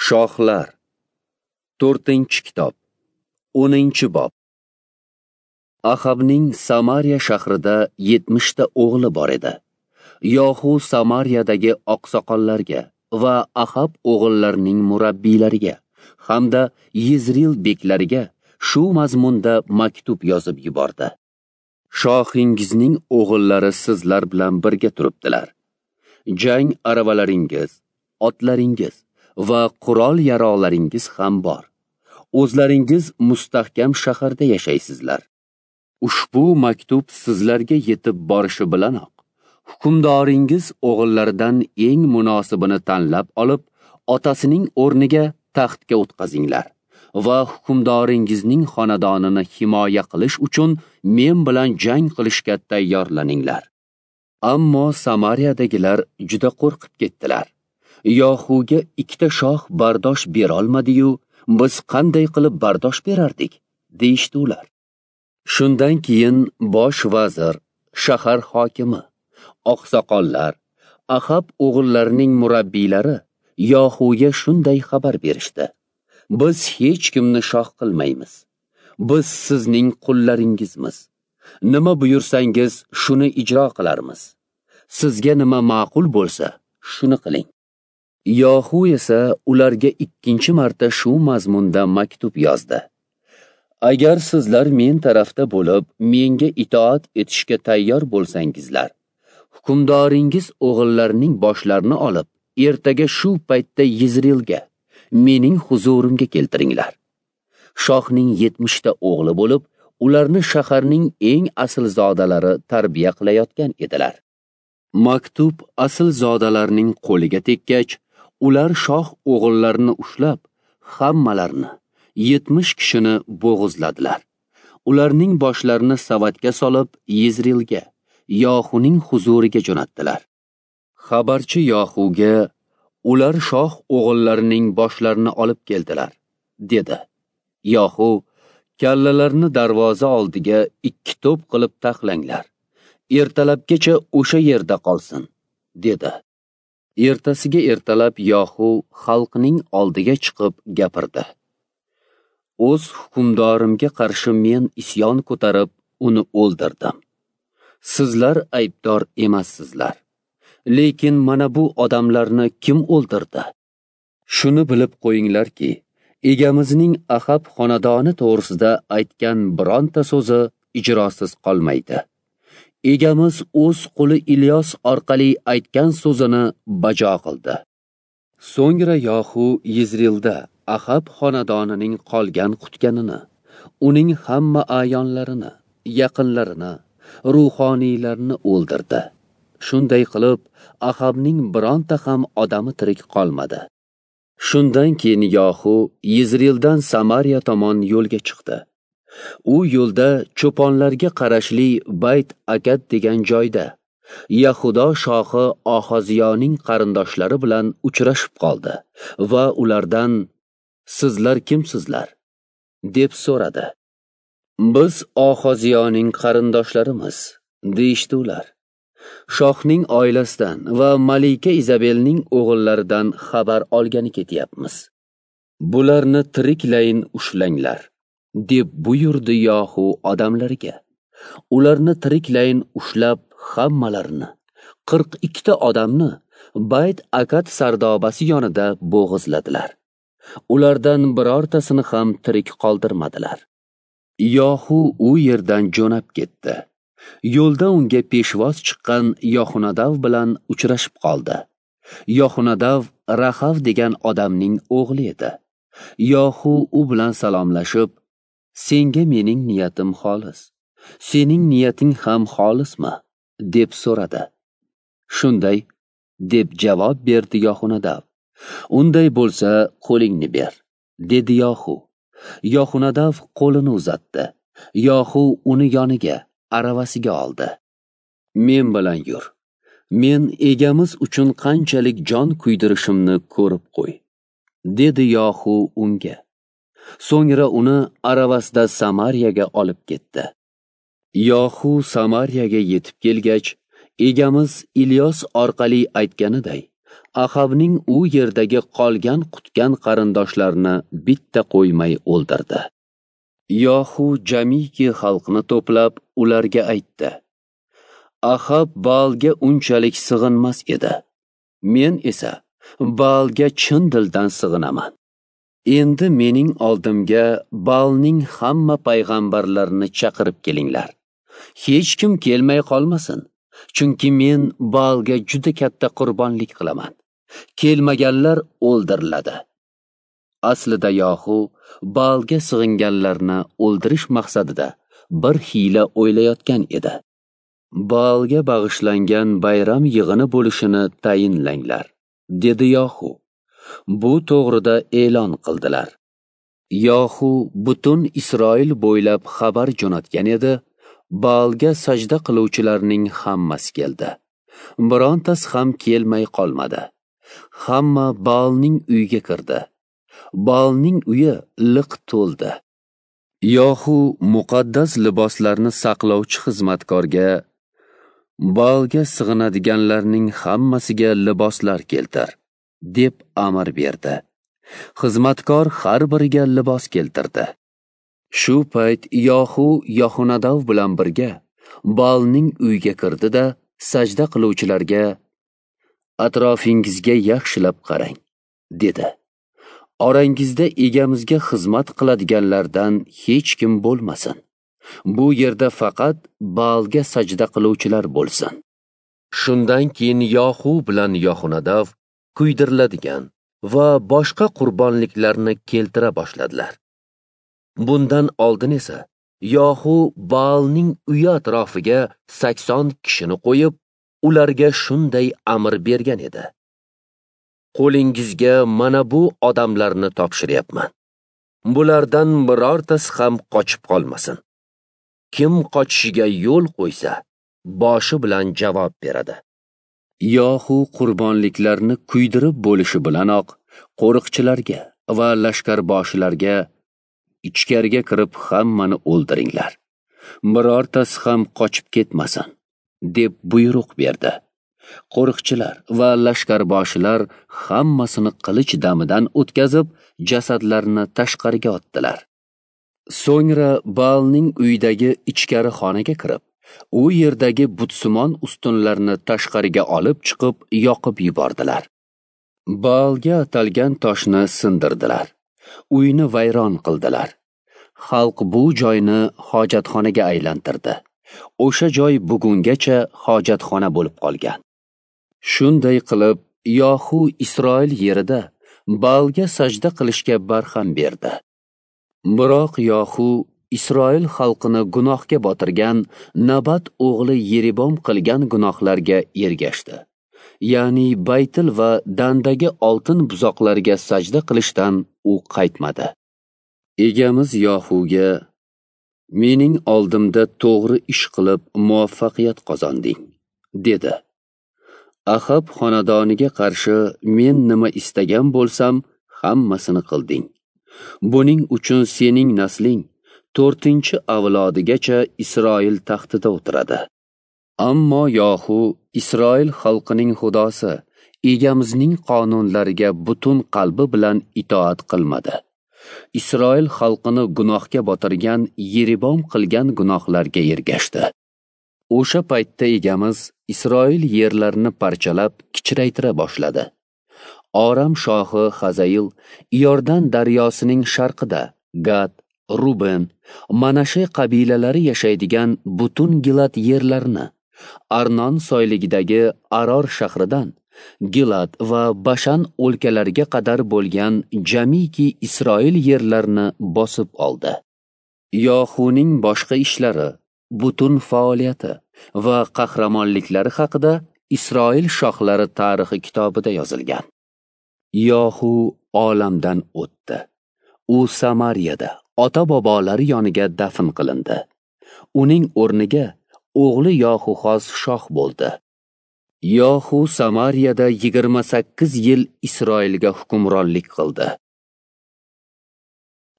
Shohlar 4-kitob 10-bob. Ahabning Samariya shahrida 70 ta o'g'li bor edi. Yohu Samariyadagi oqsoqollarga va Ahab o'g'illarining murabbiylariga hamda Yizril beklariga shu mazmunda maktub yozib yubordi. Shohingizning o'g'illari sizlar bilan birga turibdilar. Jang aravalaringiz, otlaringiz va qurol-yarog'laringiz ham bor. O'zlaringiz mustahkam shaharda yashaysizlar. Ushbu maktub sizlarga yetib borishi bilanoq hukmdoringiz o'g'illaridan eng munosibini tanlab olib, otasining o'rniga taxtga o'tqazinglar va hukmdoringizning xonadonini himoya qilish uchun men bilan jang qilishga tayyorlaninglar. Ammo Samariyadagilar juda qo'rqib ketdilar. Yohuga ikkita shoh bardosh berolmadi-yu, biz qanday qilib bardosh berardik, deyishdi ular. Shundan keyin bosh vazir, shahar hokimi, oqsoqollar, Ahab o'g'illarining murabbiylari Yohuga shunday xabar berishdi: Biz hech kimni shoh qilmaymiz. Biz sizning qullaringizmiz. Nima buyursangiz, shuni ijro qilarmiz. Sizga nima ma'qul bo'lsa, shuni qiling. Yohu esa ularga ikkinchi marta shu mazmunda maktub yozdi: Agar sizlar men tarafda bo'lib, menga itoat etishga tayyor bo'lsangizlar, hukmdoringiz o'g'illarining boshlarini olib, ertaga shu paytda Yizrilga, mening huzurimga keltiringlar. Shohning 70 ta o'g'li bo'lib, ularni shaharning eng aslzodalari tarbiya qilayotgan edilar. Maktub aslzodalarning qo'liga tekkach, ular shoh o'g'illarini ushlab, hammalarini 70 kishini bo'g'izladilar. Ularning boshlarini savatga solib, Yizrilga, Yohuning huzuriga jo'natdilar. Xabarchi Yohuga: Ular shoh o'g'illarining boshlarini olib keldilar, dedi. Yohu: Kallalarni darvoza oldiga 2 to'p qilib taxlanglar. Ertalabgacha o'sha yerda qolsin, dedi. Ertasiga ertalab Yohu xalqning oldiga chiqib gapirdi. O'z hukmdorimga qarshi men isyon ko'tarib, uni o'ldirdim. Sizlar aybdor emassizlar. Lekin mana bu odamlarni kim o'ldirdi? Shuni bilib qo'yinglarki, egamizning Ahab xonadoni to'g'risida aytgan bironta so'zi ijrosiz qolmaydi. Egamiz o'z quli Ilyos orqali aytgan so'zini bajo qildi. So'ngra Yohu Yizrilda Ahab xonadonining qolgan qutganini, uning hamma a'yonlarini, yaqinlarini, ruhoniylarni o'ldirdi. Shunday qilib, Ahabning bironta ham odami tirik qolmadi. Shundan keyin Yohu Yizrildan Samariya tomon yo'lga chiqdi. U yo'lda cho'ponlarga qarashli Bayt Akad degan joyda Yahudo shohi Ohoziyoning qarindoshlari bilan uchrashib qoldi va ulardan: Sizlar kimsizlar? deb so'radi. Biz Ohoziyoning qarindoshlarimiz, deyishdi ular. Shohning oilasidan va Malika Izabelning o'g'illaridan xabar olgani ketyapmiz. Bularni tiriklayin ushlanglar, deb buyurdi Yohu odamlariga. Ularni tiriklayin ushlab, hammalarini, 42 ta odamni Bayt Akad sardobasi yonida bo'g'izladilar. Ulardan birortasini ham tirik qoldirmadilar. Yohu u yerdan jo'nab ketdi. Yo'lda unga peshvoz chiqqan Yohunadav bilan uchrashib qoldi. Yohunadav Rahav degan odamning o'g'li edi. Yohu u bilan salomlashib: Senga mening niyatim xolis, sening niyating ham xolismi? deb so'radi. Shunday, deb javob berdi Yohunadav. Unday bo'lsa, qo'lingni ber, dedi Yohu. Yohunadav qo'lini uzatdi. Yohu uni yoniga, aravasiga oldi. Men bilan yur. Men egamiz uchun qanchalik jon kuydirishimni ko'rib qo'y, dedi Yohu unga. So'ngra uni aravasida Samariyaga olib ketdi. Yohu Samariyaga yetib kelgach, egamiz Ilyos orqali aytganiday, Ahabning u yerdagi qolgan qutgan qarindoshlarini bitta qo'ymay o'ldirdi. Yohu jamiki xalqni to'plab ularga aytdi: Ahab Baalga unchalik sig'inmas edi. Men esa Baalga chin dildan sig'inaman. Endi mening oldimga Baalning hamma payg'ambarlarini chaqirib kelinglar. Hech kim kelmay qolmasin, chunki men Baalga juda katta qurbonlik qilaman. Kelmaganlar o'ldiriladi. Aslida Yohu Baalga sig'inganlarni o'ldirish maqsadida bir hiyla o'ylayotgan edi. Baalga bag'ishlangan bayram yig'ini bo'lishini tayinlanglar, dedi Yohu. Bu to'g'rida e'lon qildilar. Yohu butun Isroil bo'ylab xabar jo'natgan edi. Baalga sajda qiluvchilarning hammasi keldi. Birontasi ham kelmay qolmadi. Hamma Baalning uyiga kirdi. Baalning uyi liq to'ldi. Yohu muqaddas liboslarni saqlovchi xizmatkorga: Baalga sig'inadiganlarning hammasiga liboslar keltir, deb amr berdi. Xizmatkor har biriga libos keltirdi. Shu payt Yohu Yohunadav bilan birga Baalning uyiga kirdi-da, sajda qiluvchilarga: Atrofingizga yaxshilab qarang, dedi. Orangizda egamizga xizmat qiladiganlardan hech kim bo'lmasin. Bu yerda faqat Baalga sajda qiluvchilar bo'lsin. Shundan keyin Yohu bilan Yohunadav kuydiriladigan va boshqa qurbonliklarni keltira boshladilar. Bundan oldin esa Yohu Baalning uyi atrofiga 80 kishini qo'yib, ularga shunday amr bergan edi: Qo'lingizga mana bu odamlarni topshiryapman. Bulardan birortasi ham qochib qolmasin. Kim qochishiga yo'l qo'ysa, boshi bilan javob beradi. Yohu qurbonliklarni kuydirib bo'lishi bilanoq qo'riqchilarga va lashkarboshilarga: ichkariga kirib hammani o'ldiringlar. Birortasi ham qochib ketmasin, deb buyruq berdi. Qo'riqchilar va lashkarboshilar hammasini qilich damidan o'tkazib, jasadlarini tashqariga otdilar. So'ngra Baalning uyidagi ichkari xonaga kirib, u yerdagi butsimon ustunlarni tashqariga olib chiqib yoqib yubordilar. Baalga atalgan toshni sindirdilar. Uyni vayron qildilar. Xalq bu joyni hojatxonaga aylantirdi. O'sha joy bugungacha hojatxona bo'lib qolgan. Shunday qilib, Yohu Isroil yerida Baalga sajda qilishga barham berdi. Biroq Yohu Isroil xalqini gunohga botirgan Nabat o'g'li Yeribom qilgan gunohlarga ergashdi. Ya'ni Baytil va Dandagi oltin buzoqlarga sajda qilishdan u qaytmadi. Egamiz Yohuga: Mening oldimda to'g'ri ish qilib muvaffaqiyat qozonding, dedi. Ahab xonadoniga qarshi men nima istagan bo'lsam, hammasini qilding. Buning uchun sening nasling 4-avlodigacha Isroil taxtida o'tiradi. Ammo Yohu Isroil xalqining xudosi egamizning qonunlariga butun qalbi bilan itoat qilmadi. Isroil xalqini gunohga botirgan Yeribom qilgan gunohlarga ergashdi. O'sha paytda egamiz Isroil yerlarini parchalab kichraytira boshladi. Oram shohi Hazail Iordan daryosining sharqida Gad, Ruben, Manashe qabilalari yashaydigan butun Gilad yerlarini, Arnon soyligidagi Aror shahridan Gilad va Bashan o'lkalariga qadar bo'lgan jamiki Isroil yerlarini bosib oldi. Yohuning boshqa ishlari, butun faoliyati va qahramonliklari haqida Isroil shohlari tarixi kitobida yozilgan. Yohu olamdan o'tdi. U Samariyada ota-bobolari yoniga dafn qilindi. Uning o'rniga o'g'li Yohuxoz shoh bo'ldi. Yohu Samariyada 28 yil Isroilga hukmronlik qildi.